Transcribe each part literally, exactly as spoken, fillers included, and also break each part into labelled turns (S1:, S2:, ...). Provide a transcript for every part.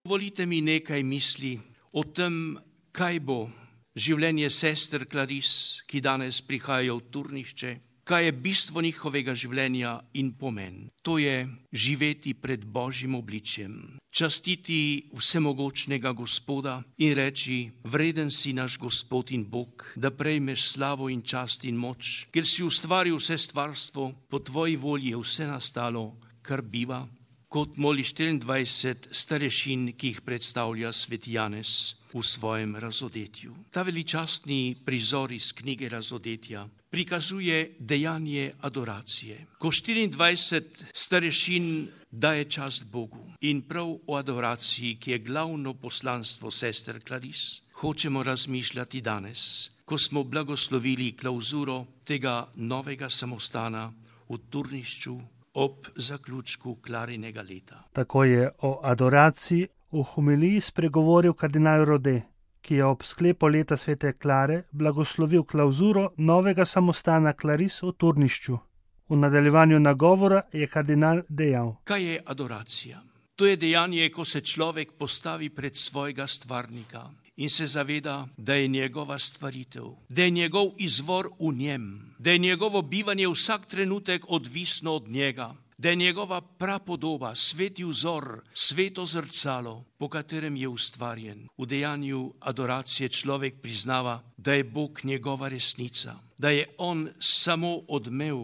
S1: Volite mi nekaj misli o tem, kaj bo življenje sester Claris, ki danes prihajajo v turnišče, kaj je bistvo njihovega življenja in pomen. To je živeti pred Božjim obličjem, častiti vsemogočnega Gospoda in reči: vreden si naš Gospod in Bog, da prejmeš slavo in čast in moč, ker si ustvaril vse stvarstvo, po tvoji volji je vse nastalo, kar biva. Kot moli štiriindvajset starešin, ki jih predstavlja sveti Janez v svojem razodetju. Ta veličastni prizor iz knjige Razodetja prikazuje dejanje adoracije. Ko štiriindvajset starešin daje čast Bogu in prav o adoraciji, ki je glavno poslanstvo sester Claris, hočemo razmišljati danes, ko smo blagoslovili klauzuro tega novega samostana v Turnišču ob zaključku Klarinega leta.
S2: Tako je o adoraciji v homiliji spregovoril kardinal Rode, ki je ob sklepu leta svete Klare blagoslovil klauzuro novega samostana Claris v Turnišču. V nadaljevanju nagovora je kardinal dejal:
S1: kaj je adoracija? To je dejanje, ko se človek postavi pred svojega stvarnika in se zaveda, da je njegova stvaritev, da je njegov izvor v njem, da je njegovo bivanje vsak trenutek odvisno od njega, da je njegova prapodoba, sveti vzor, sveto zrcalo, po katerem je ustvarjen. V dejanju adoracije človek priznava, da je Bog njegova resnica, da je on samo odmev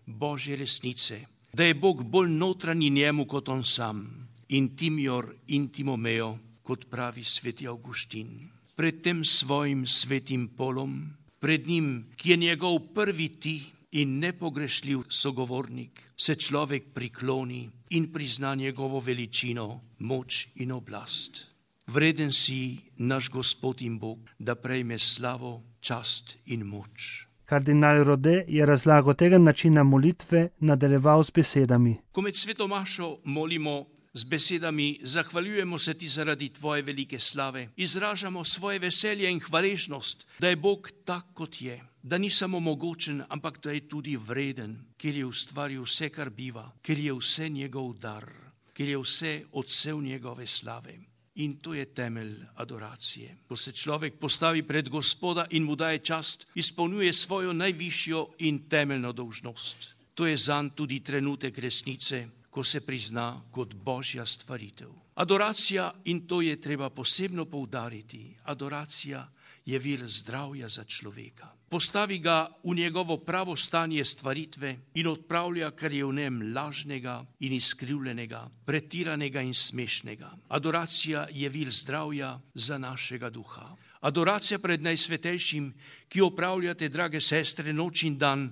S1: Božje resnice, da je Bog bolj notranji njemu kot on sam, intimior intimo meo, kot pravi sveti Avguštin. Pred tem svojim svetim polom, pred njim, ki je njegov prvi ti in nepogrešljiv sogovornik, se človek prikloni in prizna njegovo veličino, moč in oblast. Vreden si naš Gospod in Bog, da prejme slavo, čast in moč.
S2: Kardinal Rode je razlago tega načina molitve nadaljeval z besedami:
S1: ko med sveto mašo molimo z besedami: zahvaljujemo se ti zaradi tvoje velike slave, izražamo svoje veselje in hvaležnost, da je Bog tak, kot je, da ni samo mogočen, ampak da je tudi vreden, ker je ustvaril vse, kar biva, ker je vse njegov dar, ker je vse odsev njegove slave. In to je temelj adoracije. Ko se človek postavi pred Gospoda in mu daje čast, izpolnjuje svojo najvišjo in temeljno dolžnost. To je zanj tudi trenutek resnice, ko se prizna kot Božja stvaritev. Adoracija, in to je treba posebno poudariti, adoracija je vir zdravja za človeka. Postavi ga v njegovo pravo stanje stvaritve in odpravlja, kar je v njem lažnega in izkrivljenega, pretiranega in smešnega. Adoracija je vir zdravja za našega duha. Adoracija pred najsvetejšim, ki opravljate, drage sestre, noč in dan,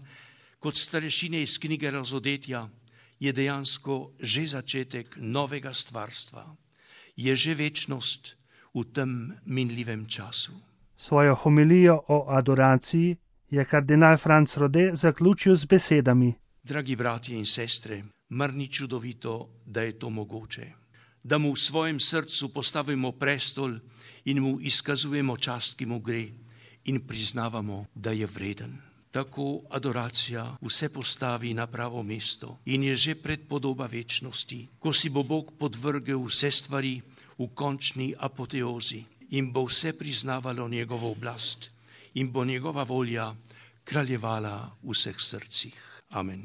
S1: kot starešine iz knjige Razodetja, je dejansko že začetek novega stvarstva. Je že večnost v tem minljivem času.
S2: Svojo homilijo o adoraciji je kardinal Franc Rode zaključil z besedami:
S1: dragi bratje in sestre, mar ni čudovito, da je to mogoče, da mu v svojem srcu postavimo prestol in mu izkazujemo čast, ki mu gre, in priznavamo, da je vreden. Tako adoracija vse postavi na pravo mesto in je že predpodoba večnosti, ko si bo Bog podvrgel vse stvari v končni apoteozi in bo vse priznavalo njegovo oblast in bo njegova volja kraljevala v vseh srcih. Amen.